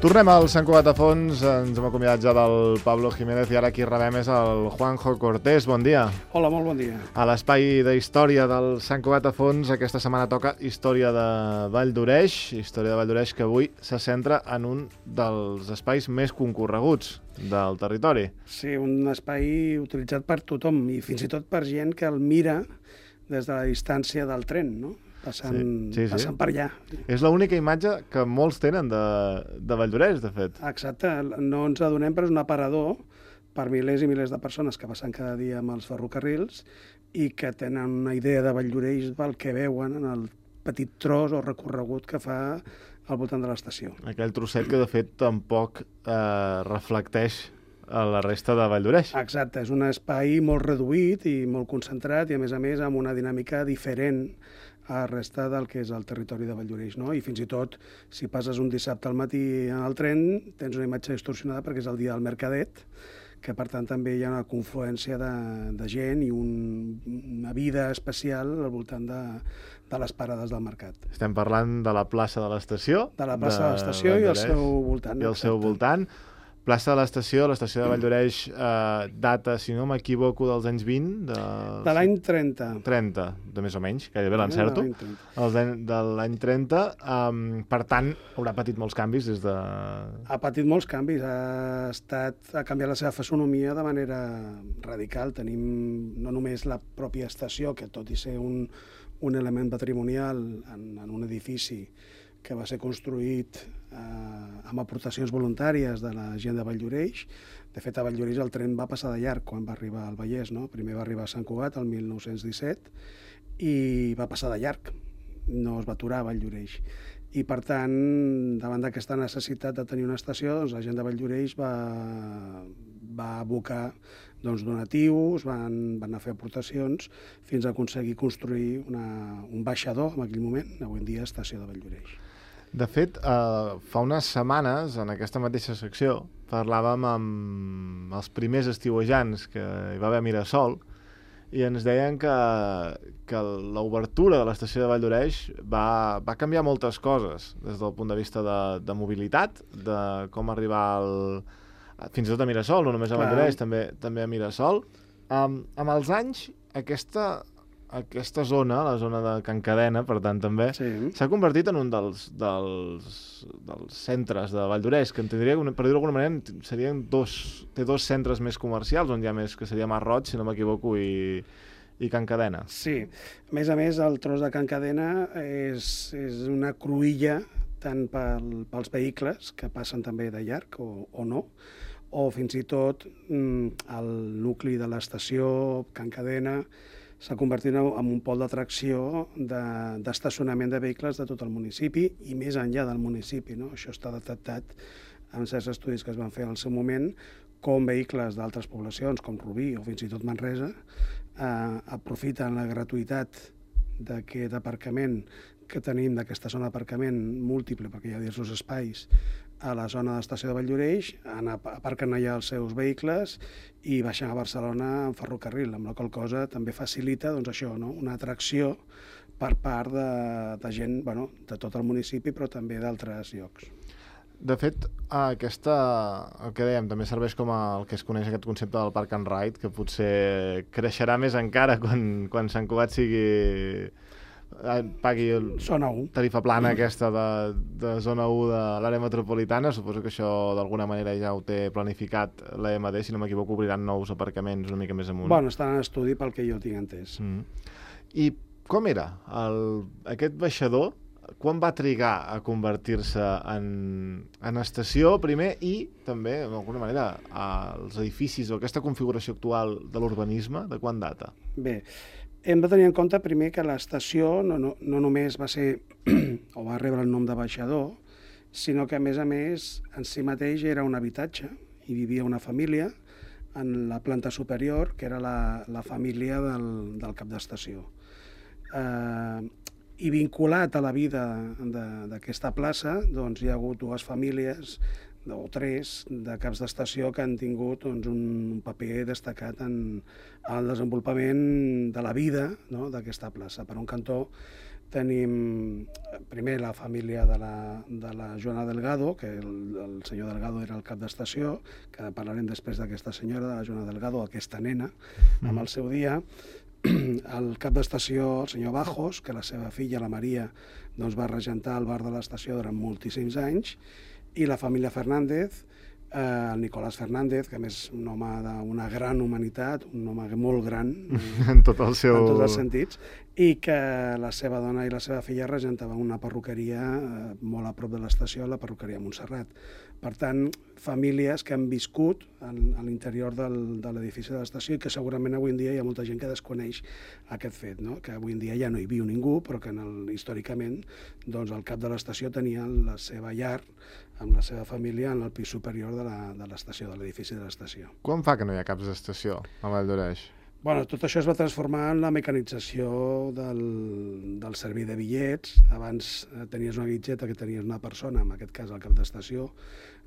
Tornem al Sant Cugat a Fons, ens hem acomiadat ja del Pablo Jiménez i ara qui rebem és el Juanjo Cortés. Bon dia. Hola, molt bon dia. A l'espai d'història del Sant Cugat a Fons aquesta setmana toca Història de Vall d'Oreix, que avui se centra en un dels espais més concorreguts del territori. Sí, un espai utilitzat per tothom i fins i tot per gent que el mira des de la distància del tren, no? Passant per allà. És l'única imatge que molts tenen de Vall d'Oreix, de fet. Exacte, no ens adonem, però és un aparador per milers i milers de persones que passen cada dia amb els ferrocarrils i que tenen una idea de Vall d'Oreix del que veuen en el petit tros o recorregut que fa al voltant de l'estació. Aquell trosset que, de fet, tampoc reflecteix a la resta de Vall d'Oreix. Exacte, és un espai molt reduït i molt concentrat i, a més, amb una dinàmica diferent a la resta del que és el territori de Vall d'Oreix, no? I fins i tot, si passes un dissabte al matí en el tren, tens una imatge distorsionada perquè és el dia del Mercadet, que per tant també hi ha una confluència de gent i una vida especial al voltant de les parades del mercat. Estem parlant de la plaça de l'estació. De la plaça de l'estació i el seu voltant. I el seu voltant. Plaça de l'estació de Vall d'Oreix data, si no m'equivoco, dels anys 20? De l'any 30. 30, de més o menys, gairebé l'encerto. De l'any 30. Per tant, haurà patit molts canvis des de... Ha patit molts canvis, ha canviat la seva fisonomia de manera radical. Tenim no només la pròpia estació, que tot i ser un element patrimonial en un edifici que va ser construït amb aportacions voluntàries de la gent de Vall d'Oreix. De fet, a Vall d'Oreix el tren va passar de llarg quan va arribar al Vallès, no? Primer va arribar a Sant Cugat el 1917 i va passar de llarg, no es va aturar a Vall d'Oreix. I, per tant, davant d'aquesta necessitat de tenir una estació, doncs, la gent de Vall d'Oreix va abocar donatius, van anar a fer aportacions fins a aconseguir construir un baixador en aquell moment, avui en dia estació de Vall d'Oreix. De fet, fa unes setmanes, en aquesta mateixa secció, parlàvem amb els primers estiuejants que hi va haver a Mirasol i ens deien que l'obertura de l'estació de Vall d'Oreix va canviar moltes coses des del punt de vista de mobilitat, de com arribar fins i tot a Mirasol, no només a Vall d'Oreix, també a Mirasol. Amb els anys, aquesta zona, la zona de Can Cadena, per tant, també, s'ha convertit en un dels centres de Vall d'Oreix, que entendria, per dir-ho d'alguna manera, té dos centres més comercials, on hi ha més, que seria Masroig, si no m'equivoco, i Can Cadena. Sí. A més, el tros de Can Cadena és una cruïlla tant pels vehicles, que passen també de llarg o no, o fins i tot el nucli de l'estació, Can Cadena, s'ha convertit en un pol d'atracció d'estacionament de vehicles de tot el municipi i més enllà del municipi, no? Això està detectat en certs estudis que es van fer al seu moment, com vehicles d'altres poblacions, com Rubí o fins i tot Manresa, aprofiten la gratuïtat d'aquest aparcament que tenim, d'aquesta zona d'aparcament múltiple, perquè hi ha diversos espais, a la zona de l'estació de Vall d'Oreix, aparquen allà els seus vehicles i baixen a Barcelona en ferrocarril, amb la qual cosa també facilita això, no? Una atracció per part de gent de tot el municipi, però també d'altres llocs. De fet, el que dèiem, també serveix com el que es coneix aquest concepte del Park and Ride, que potser creixerà més encara quan Sant Cugat pagui Zona 1. Tarifa plana aquesta de zona 1 de l'àrea metropolitana. Suposo que això d'alguna manera ja ho té planificat l'EMD, si no m'equivoco, obriran nous aparcaments una mica més amunt. Estan en estudi pel que jo tinc entès. I com era aquest baixador? Quan va trigar a convertir-se en estació primer i també, d'alguna manera, els edificis o aquesta configuració actual de l'urbanisme, de quan data? Bé, hem de tenir en compte primer que l'estació no només va ser o va rebre el nom de baixador, sinó que, a més, en si mateix era un habitatge. Hi vivia una família en la planta superior, que era la família del cap d'estació. I vinculat a la vida d'aquesta plaça, hi ha hagut dues famílies o tres de caps d'estació que han tingut un paper destacat en el desenvolupament de la vida, no?, d'aquesta plaça. Per un cantó tenim primer la família de la Joana Delgado, que el senyor Delgado era el cap d'estació, que parlarem després d'aquesta senyora, de la Joana Delgado, aquesta nena, amb el seu dia. El cap d'estació, el senyor Bajos, que la seva filla, la Maria, doncs va regentar el bar de l'estació durant moltíssims anys, i la família Fernández, el Nicolás Fernández, que a més és un home d'una gran humanitat, un home molt gran en tots els sentits, i que la seva dona i la seva filla regentaven una perruqueria molt a prop de l'estació, la perruqueria Montserrat. Per tant, famílies que han viscut a l'interior de l'edifici de l'estació i que segurament avui en dia hi ha molta gent que desconeix aquest fet, no? Que avui en dia ja no hi viu ningú, però que històricament doncs, el cap de l'estació tenia la seva llar amb la seva família en el pis superior de l'estació, de l'edifici de l'estació. Quan fa que no hi ha caps d'estació a Vall d'Oreix? Bueno, tot això es va transformar en la mecanització del servei de bitllets. Abans tenies una guitxeta que tenies una persona, en aquest cas el cap d'estació,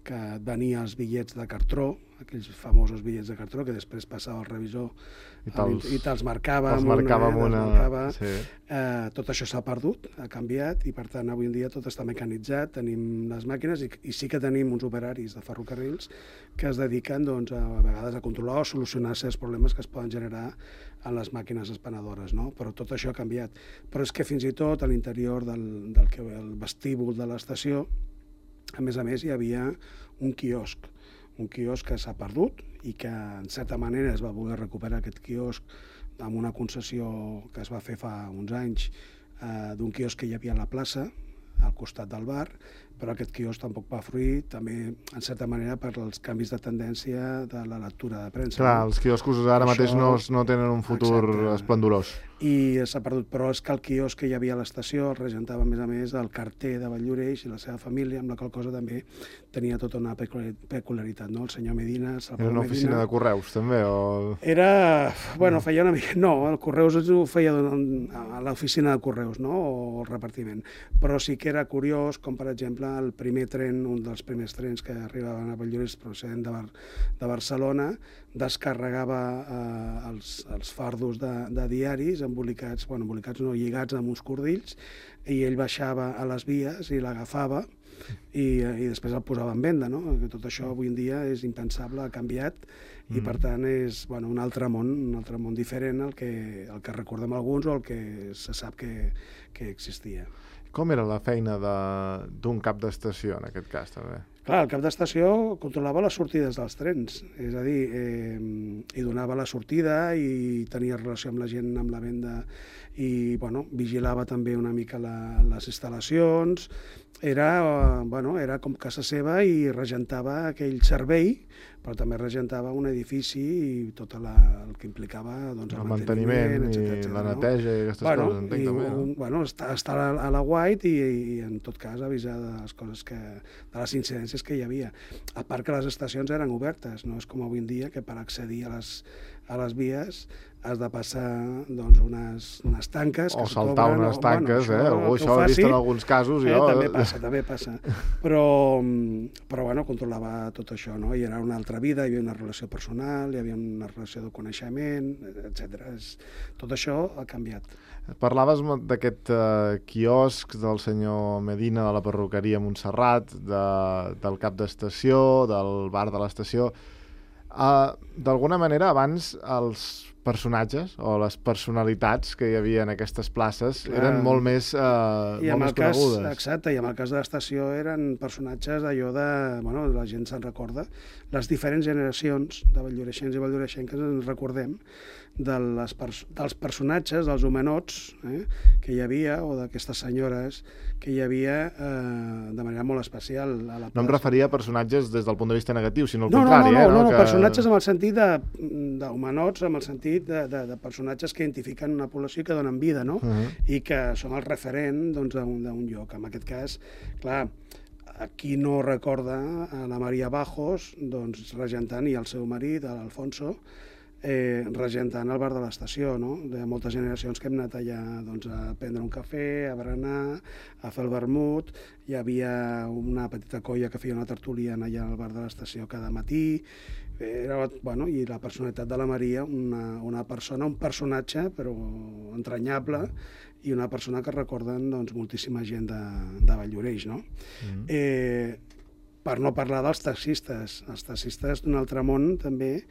que venia els bitllets de cartró, aquells famosos bitllets de cartró, que després passava al revisor i te'ls marcava. Sí. Tot això s'ha perdut, ha canviat, i per tant avui en dia tot està mecanitzat, tenim les màquines i sí que tenim uns operaris de ferrocarrils que es dediquen doncs, a vegades a controlar o solucionar certs problemes que es poden generar en les màquines expenedores, no? Però tot això ha canviat. Però és que fins i tot a l'interior del vestíbul de l'estació, a més, hi havia un quiosc que s'ha perdut i que, en certa manera, es va voler recuperar aquest quiosc amb una concessió que es va fer fa uns anys d'un quiosc que hi havia a la plaça, al costat del bar, però aquest quiosc tampoc va fruir, també, en certa manera, per als canvis de tendència de la lectura de premsa. Clar, els quioscos ara mateix no tenen un futur esplendorós. I s'ha perdut, però és que el quiosc que hi havia a l'estació el regentava, a més, el carter de Vall d'Oreix i la seva família, amb la qual cosa també tenia tota una peculiaritat, no? El senyor Medina... Era una oficina de correus, també? Era... Bueno, feia una mica... No, el correus ho feia a l'oficina de correus, no? O el repartiment. Però sí que era curiós, com per exemple el primer tren, un dels primers trens que arribaven a Vall d'Oreix procedent de Barcelona, descarregava els fardos de diaris embolicats no, lligats amb uns cordills, i ell baixava a les vies i l'agafava i després el posava en venda, no? Tot això avui en dia és impensable, ha canviat, i per tant és un altre món diferent al que recordem alguns o el que se sap que existia. Com era la feina d'un cap d'estació, en aquest cas, també? Clar, el cap d'estació controlava les sortides dels trens, és a dir, hi donava la sortida i tenia relació amb la gent, amb la venda, i vigilava també una mica les instal·lacions. Era com casa seva i regentava aquell servei, però també regentava un edifici i tot el que implicava el manteniment i la neteja i aquestes coses, entenc també, no? Estar a la White i en tot cas avisar de les coses de les incidències que hi havia. A part que les estacions eren obertes, no és com avui en dia que per accedir a les vies has de passar unes tanques o saltar unes tanques, això ho he vist en alguns casos. També passa. Però controlava tot això, no? Hi era una altra vida, hi havia una relació personal, hi havia una relació de coneixement, etc. Tot això ha canviat. Parlaves d'aquest quiosc del senyor Medina, de la perruqueria Montserrat, del cap d'estació, del bar de l'estació. D'alguna manera, abans els personatges o les personalitats que hi havia en aquestes places eren molt més conegudes. Exacte, i en el cas de l'estació eren personatges d'allò la gent se'n recorda, les diferents generacions de valldoreixens i valldoreixenques ens recordem dels personatges, dels homenots que hi havia, o d'aquestes senyores que hi havia de manera molt especial a la plaça. No em referia a personatges des del punt de vista negatiu, sinó al contrari. No, personatges amb el sentit d'homenots, amb el sentit de personatges que identifiquen una població i que donen vida, no? I que són el referent d'un lloc. En aquest cas, clar, qui no recorda a la Maria Bajos regentant, i el seu marit, l'Alfonso, regentant el bar de l'estació, no? De moltes generacions que hem anat allà a prendre un cafè, a berenar, a fer el vermut. Hi havia una petita colla que feia una tertúlia allà al bar de l'estació cada matí. I la personalitat de la Maria, un personatge però entranyable i una persona que recorden doncs, moltíssima gent de Valldoreix, no? Per no parlar dels taxistes. Els taxistes d'un altre món, també.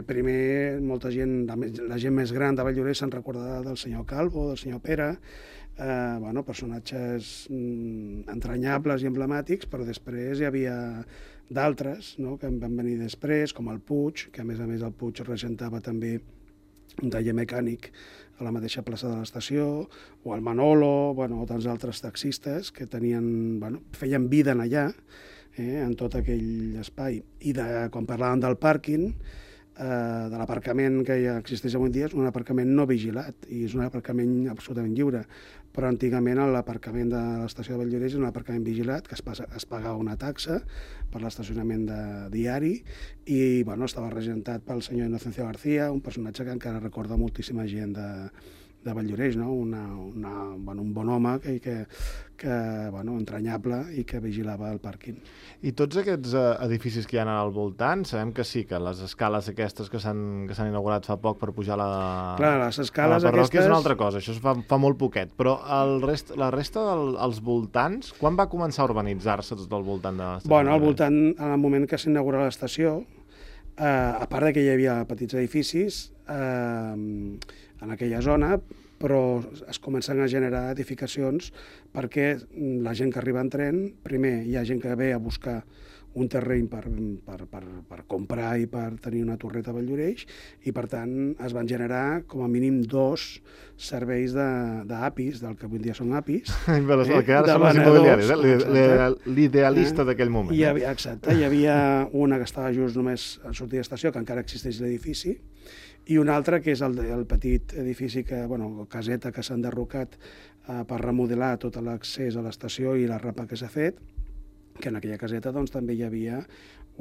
Primer, molta gent, la gent més gran de Valldoreix se'n recordarà del senyor Calvo, del senyor Pere, personatges entranyables i emblemàtics, però després hi havia d'altres, no?, que en van venir després, com el Puig, que a més el Puig regentava també un taller mecànic a la mateixa plaça de l'estació, o el Manolo, o tants altres taxistes que feien vida en allà, en tot aquell espai. I quan parlàvem del pàrquing, de l'aparcament que ja existeix avui dia, és un aparcament no vigilat i és un aparcament absolutament lliure, però antigament l'aparcament de l'estació de Valldoreix és un aparcament vigilat, que es pagava una taxa per l'estacionament diari i estava regentat pel senyor Inocencio García, un personatge que encara recorda moltíssima gent de Valldoreix, no? Un bon home entranyable i que vigilava el pàrquing. I tots aquests edificis que hi ha al voltant, sabem que sí, que les escales aquestes que s'han inaugurat fa poc per pujar a les escales la parròquia és una altra cosa, això fa molt poquet, però la resta dels voltants, quan va començar a urbanitzar-se tot el voltant de l'estació? Al voltant, en el moment que s'inaugura l'estació, a part que hi havia petits edificis en aquella zona, però es comencen a generar edificacions perquè la gent que arriba en tren, primer hi ha gent que ve a buscar un terreny per comprar i per tenir una torreta a Valldoreix i, per tant, es van generar com a mínim 2 serveis d'APIs, del que avui dia són APIs. El que ara són els immobiliaris, l'idealista d'aquell moment. Exacte, hi havia una que estava just només a sortir d'estació, que encara existeix l'edifici, i un altre que és el petit edifici, caseta que s'ha enderrocat per remodelar tot l'accés a l'estació i la rampa que s'ha fet, que en aquella caseta també hi havia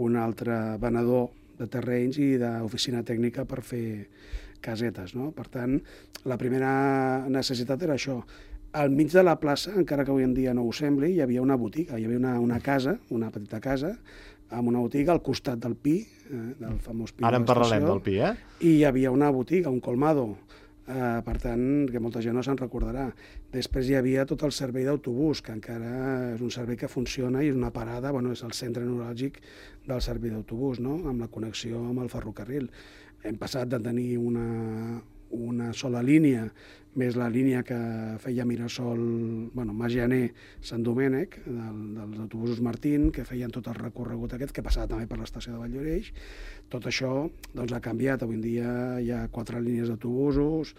un altre venedor de terrenys i d'oficina tècnica per fer casetes, no? Per tant, la primera necessitat era això. Al mig de la plaça, encara que avui en dia no ho sembli, hi havia una botiga, hi havia una casa, una petita casa, amb una botiga al costat del Pi, del famós Pi. Ara en parlarem del Pi, I hi havia una botiga, un colmado, per tant, que molta gent no se'n recordarà. Després hi havia tot el servei d'autobús, que encara és un servei que funciona i és una parada, és el centre neuràlgic del servei d'autobús, no?, amb la connexió amb el ferrocarril. Hem passat de tenir una sola línia, més la línia que feia Mirasol, Magianer, Sant Domènec, dels autobusos Martín, que feien tot el recorregut aquest, que passava també per l'estació de Valldoreix. Tot això ha canviat. Avui en dia hi ha 4 línies d'autobusos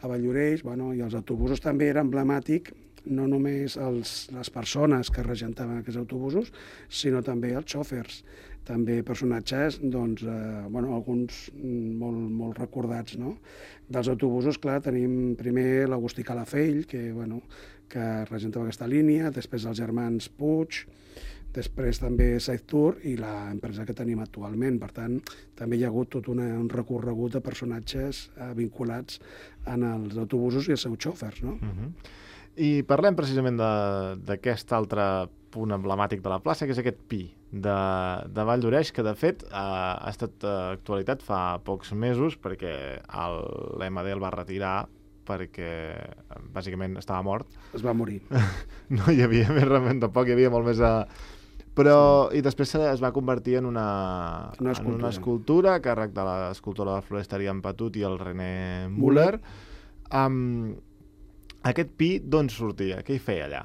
a Valldoreix, i els autobusos també era emblemàtic, no només les persones que regentaven aquests autobusos, sinó també els xòfers. També personatges, alguns molt recordats, no? Dels autobusos, clar, tenim primer l'Agustí Calafell, que regentava aquesta línia, després els germans Puig, després també Saiztour i l'empresa que tenim actualment. Per tant, també hi ha hagut tot un recorregut de personatges vinculats en els autobusos i els seus xòfers, no? I parlem precisament d'aquest altre punt emblemàtic de la plaça, que és aquest Pi de Valldoreix, que de fet ha estat actualitat fa pocs mesos perquè l'MD el va retirar perquè bàsicament estava mort. Es va morir. No hi havia més remei, tampoc hi havia molt més però i després es va convertir en una escultura a càrrec de l'escultora de la floresteria en Patut i el René Müller. Aquest Pi d'on sortia? Què hi feia allà?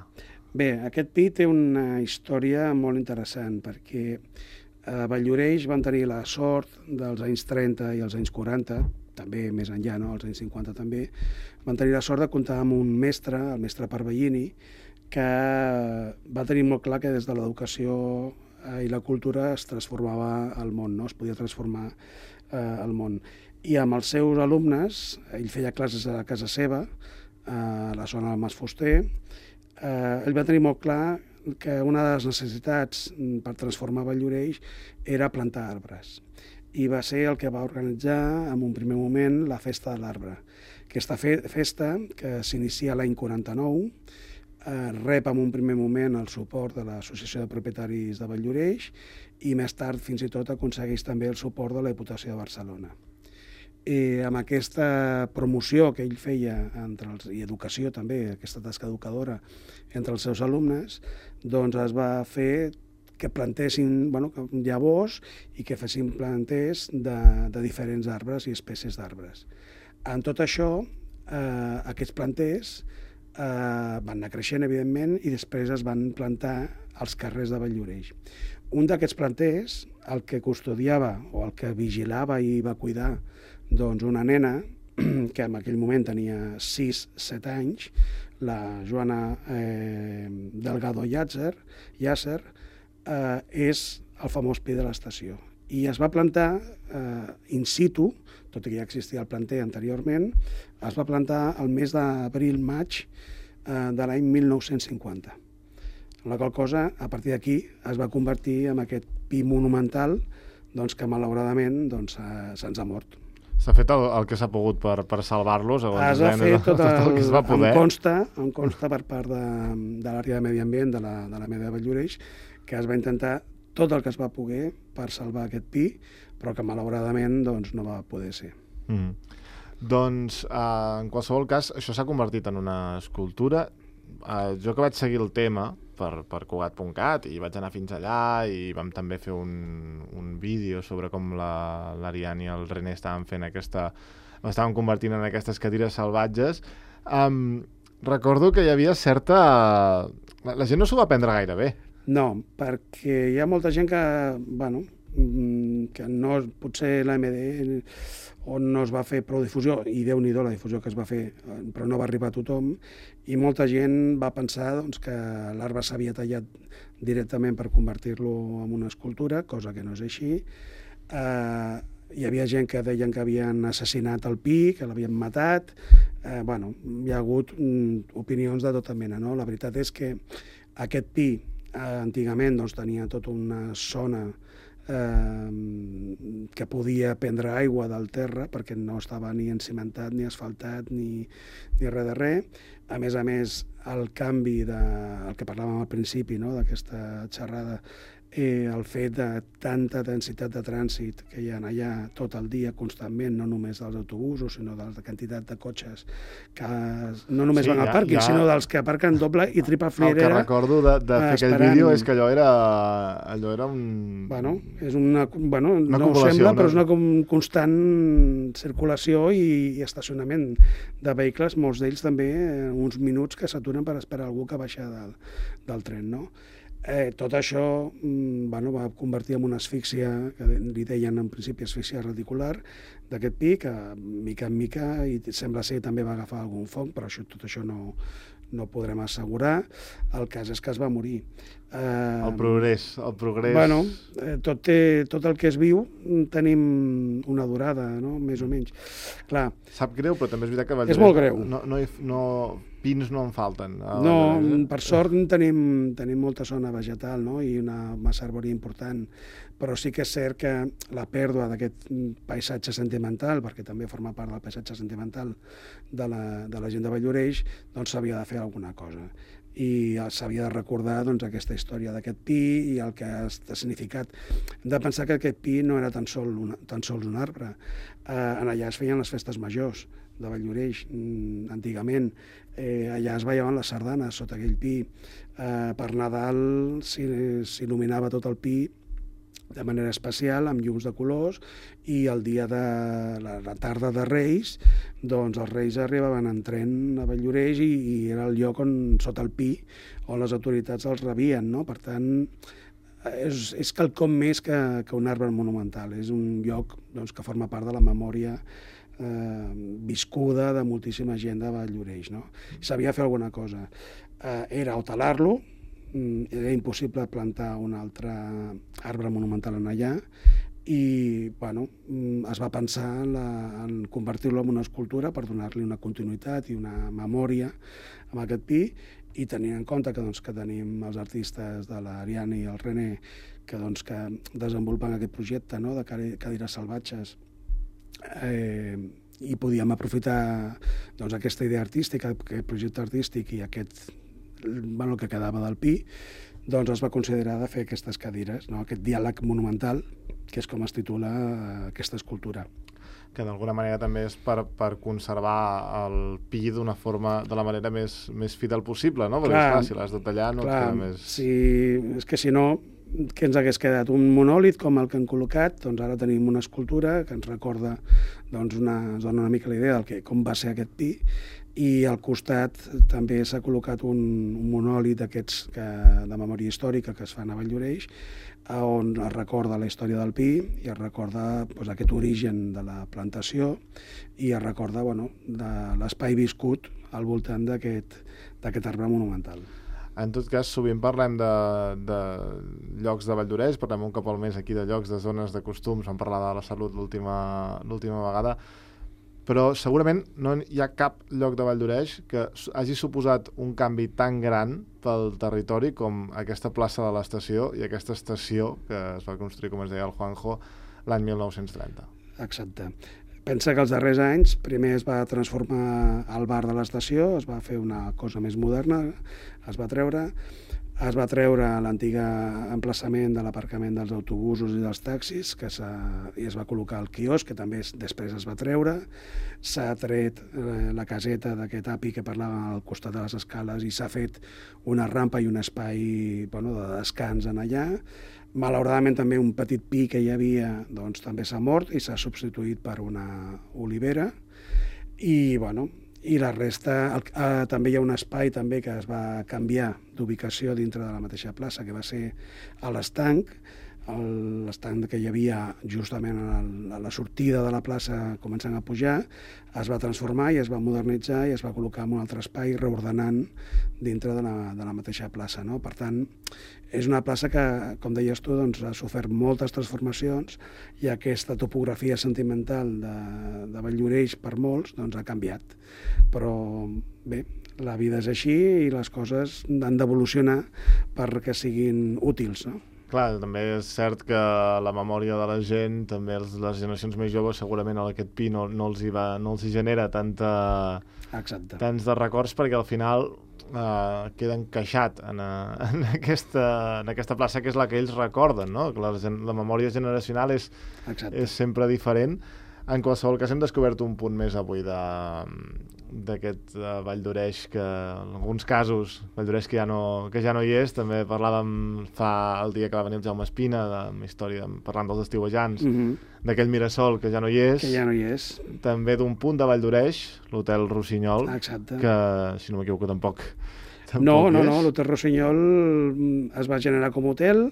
Bé, aquest Pi té una història molt interessant, perquè a Valldoreix van tenir la sort dels anys 30 i els anys 40, també més enllà, no? Els anys 50 també, van tenir la sort de comptar amb un mestre, el mestre Parvellini, que va tenir molt clar que des de l'educació i la cultura es transformava el món, no? Es podia transformar el món. I amb els seus alumnes, ell feia classes a casa seva, a la zona del Mas Fuster, ell va tenir molt clar que una de les necessitats per transformar Valldoreix era plantar arbres. I va ser el que va organitzar en un primer moment la Festa de l'Arbre. Aquesta festa, que s'inicia l'any 49, rep en un primer moment el suport de l'Associació de Propietaris de Valldoreix i més tard fins i tot aconsegueix també el suport de la Diputació de Barcelona. amb aquesta promoció que ell feia i educació també, aquesta tasca educadora entre els seus alumnes, doncs es va fer que plantessin llavors i que fessin planters de diferents arbres i espècies d'arbres. En tot això, aquests planters van anar creixent, evidentment, i després es van plantar als carrers de Valldoreix. Un d'aquests planters, el que custodiava o el que vigilava i va cuidar una nena que en aquell moment tenia 6-7 anys, la Joana Delgado Llàcer, és el famós pi de l'estació. I es va plantar in situ, tot i que ja existia el planter anteriorment, es va plantar el mes d'abril-maig de l'any 1950. La qual cosa, a partir d'aquí, es va convertir en aquest pi monumental que malauradament se'ns ha mort. S'ha fet el que s'ha pogut per salvar-los? Es va fer tot el que es va poder. Em consta per part de l'àrea de medi ambient de la Meda de Valldoreix que es va intentar tot el que es va poder per salvar aquest pi, però que malauradament no va poder ser. Doncs, en qualsevol cas, això s'ha convertit en una escultura. Jo que vaig seguir el tema per Cugat.cat i vaig anar fins allà i vam també fer un vídeo sobre com l'Ariane i el René estaven convertint en aquestes cadires salvatges. Recordo que hi havia certa... La gent no s'ho va prendre gaire bé. No, perquè hi ha molta gent que no, potser l'AMD on no es va fer prou difusió, i Déu-n'hi-do la difusió que es va fer, però no va arribar a tothom, i molta gent va pensar que l'arbre s'havia tallat directament per convertir-lo en una escultura, cosa que no és així. Hi havia gent que deien que havien assassinat el pi, que l'havien matat. Hi ha hagut opinions de tota mena, no? La veritat és que aquest pi antigament tenia tota una zona que podia prendre aigua del terra perquè no estava ni encimentat, ni asfaltat, ni res de res. A més, el canvi el que parlàvem al principi, d'aquesta xerrada, el fet de tanta densitat de trànsit que hi ha allà tot el dia constantment, no només dels autobusos, sinó de la quantitat de cotxes que no només van al pàrquing, sinó dels que aparquen doble i triple filera. El que recordo de fer aquell vídeo és que allò era un... És una no ho sembla, però és una constant circulació i estacionament de vehicles, molts d'ells també uns minuts que s'aturen per esperar algú que baixa del tren, no? Tot això va convertir en una asfíxia, que li deien en principi asfíxia radicular, d'aquest pi, que mica en mica, i sembla ser també va agafar algun foc, però tot això no ho podrem assegurar. El cas és que es va morir. El progrés. Tot el que es viu tenim una durada, no? Més o menys. Clar. Sap greu, però també és veritat que... És molt greu. Pins no en falten. No, per sort tenim molta zona vegetal, no? I una massa arbòria important, però sí que és cert que la pèrdua d'aquest paisatge sentimental, perquè també forma part del paisatge sentimental de la gent de Valldoreix, s'havia de fer alguna cosa. I s'havia de recordar aquesta història d'aquest pi i el que ha significat. Hem de pensar que aquest pi no era tan sols un arbre. Allà es feien les festes majors de Valldoreix, antigament. Allà es ballaven les sardanes sota aquell pi. Per Nadal s'il·luminava tot el pi de manera especial, amb llums de colors, i el dia de la tarda de Reis, els Reis arribaven en tren a Valldoreix i era el lloc sota el pi, on les autoritats els rebien, no? Per tant, és quelcom més que un arbre monumental, és un lloc que forma part de la memòria viscuda de moltíssima gent de Valldoreix, no? S'havia de fer alguna cosa. Era o talar-lo, era impossible plantar un altre arbre monumental en allà, i es va pensar en convertir-lo en una escultura per donar-li una continuïtat i una memòria amb aquest pi, i tenint en compte que tenim els artistes de l'Ariane i el René que desenvolupen aquest projecte de cadires salvatges, i podíem aprofitar aquesta idea artística, aquest projecte artístic i aquest el que quedava del pi, es va considerar de fer aquestes cadires, aquest diàleg monumental, que és com es titula aquesta escultura. que d'alguna manera també és per conservar el pi de la manera més fidel possible, no? Perquè, clar, si l'has de tallar no et queda més... Sí, és que si no, què ens hagués quedat? Un monòlit com el que han col·locat, doncs ara tenim una escultura que ens recorda, doncs ens dona una mica la idea com va ser aquest pi, i al costat també s'ha col·locat un monòlit d'aquests de memòria històrica que es fan a Valldoreix, on es recorda la història del pi i es recorda aquest origen de la plantació i es recorda de l'espai viscut al voltant d'aquest arbre monumental. En tot cas, sovint parlem de llocs de Valldoreix, parlem un cop al mes aquí de llocs, de zones de costums, vam parlar de la salut l'última vegada, però segurament no hi ha cap lloc de Valldoreix que hagi suposat un canvi tan gran pel territori com aquesta plaça de l'estació i aquesta estació que es va construir, com es deia el Juanjo, l'any 1930. Exacte. Pensa que els darrers anys primer es va transformar el bar de l'estació, es va fer una cosa més moderna, es va treure l'antic emplaçament de l'aparcament dels autobusos i dels taxis i es va col·locar el quiosc, que també després es va treure. S'ha tret la caseta d'aquest api que parlava al costat de les escales i s'ha fet una rampa i un espai de descans en allà. Malauradament també un petit pi que hi havia també s'ha mort i s'ha substituït per una olivera i la resta, també hi ha un espai també que es va canviar d'ubicació dintre de la mateixa plaça, que va ser a l'estanc, l'estanc que hi havia justament a la sortida de la plaça començant a pujar, es va transformar i es va modernitzar i es va col·locar en un altre espai reordenant dintre de la mateixa plaça, no? Per tant, és una plaça que, com deies tu, ha sofert moltes transformacions i aquesta topografia sentimental de Valldoreix per molts ha canviat. Però bé, la vida és així i les coses han d'evolucionar perquè siguin útils, no? Clar, també és cert que la memòria de la gent, també les generacions més joves, segurament aquest pi no els hi genera tants de records, perquè al final queda encaixat en aquesta plaça que és la que ells recorden, no? Que la memòria generacional és sempre diferent. En qualsevol cas, hem descobert un punt més avui d'aquest Valldoreix, que en alguns casos, Valldoreix que ja no hi és. També parlàvem el dia que va venir el Jaume Espina, parlant dels estiuejants, d'aquell Mirasol que ja no hi és. També d'un punt de Valldoreix, l'Hotel Rossinyol, que, si no m'equivoco, tampoc No, l'Hotel Rossinyol es va generar com a hotel.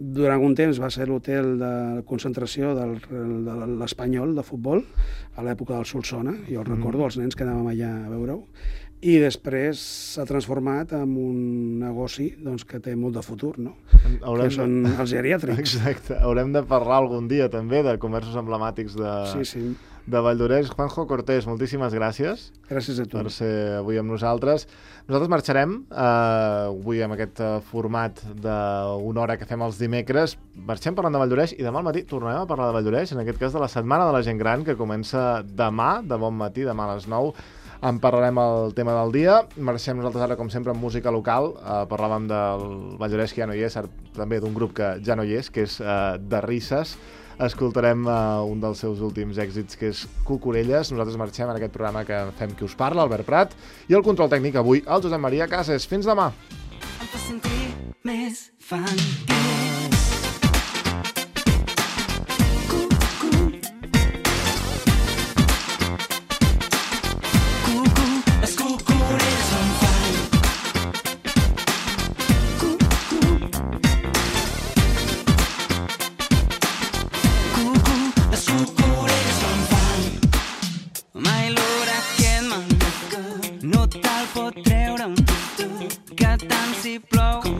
Durant un temps va ser l'hotel de concentració de l'Espanyol de futbol, a l'època del Solsona. Jo recordo els nens que anàvem allà a veure-ho. I després s'ha transformat en un negoci que té molt de futur, no? Que són els geriàtrics. Exacte. Haurem de parlar algun dia també de comerços emblemàtics de Valldoreix. Juanjo Cortés, moltíssimes gràcies. Gràcies a tu. Per ser avui amb nosaltres. Nosaltres marxarem avui amb aquest format d'una hora que fem els dimecres. Marxem parlant de Valldoreix i demà al matí tornarem a parlar de Valldoreix, en aquest cas de la Setmana de la Gent Gran, que comença demà, de bon matí, demà a les 9. En parlarem el tema del dia. Marxem nosaltres ara, com sempre, amb música local. Parlàvem del Valldoreix, que ja no hi és, també d'un grup que ja no hi és, que és de Risses. Escoltarem un dels seus últims èxits, que és Cucurelles. Nosaltres marxem en aquest programa que fem Qui us parla, Albert Prat, i el control tècnic avui, el Josep Maria Cases. Fins demà! Em fa sentir més infantil. No te'l pot treure que tant si plou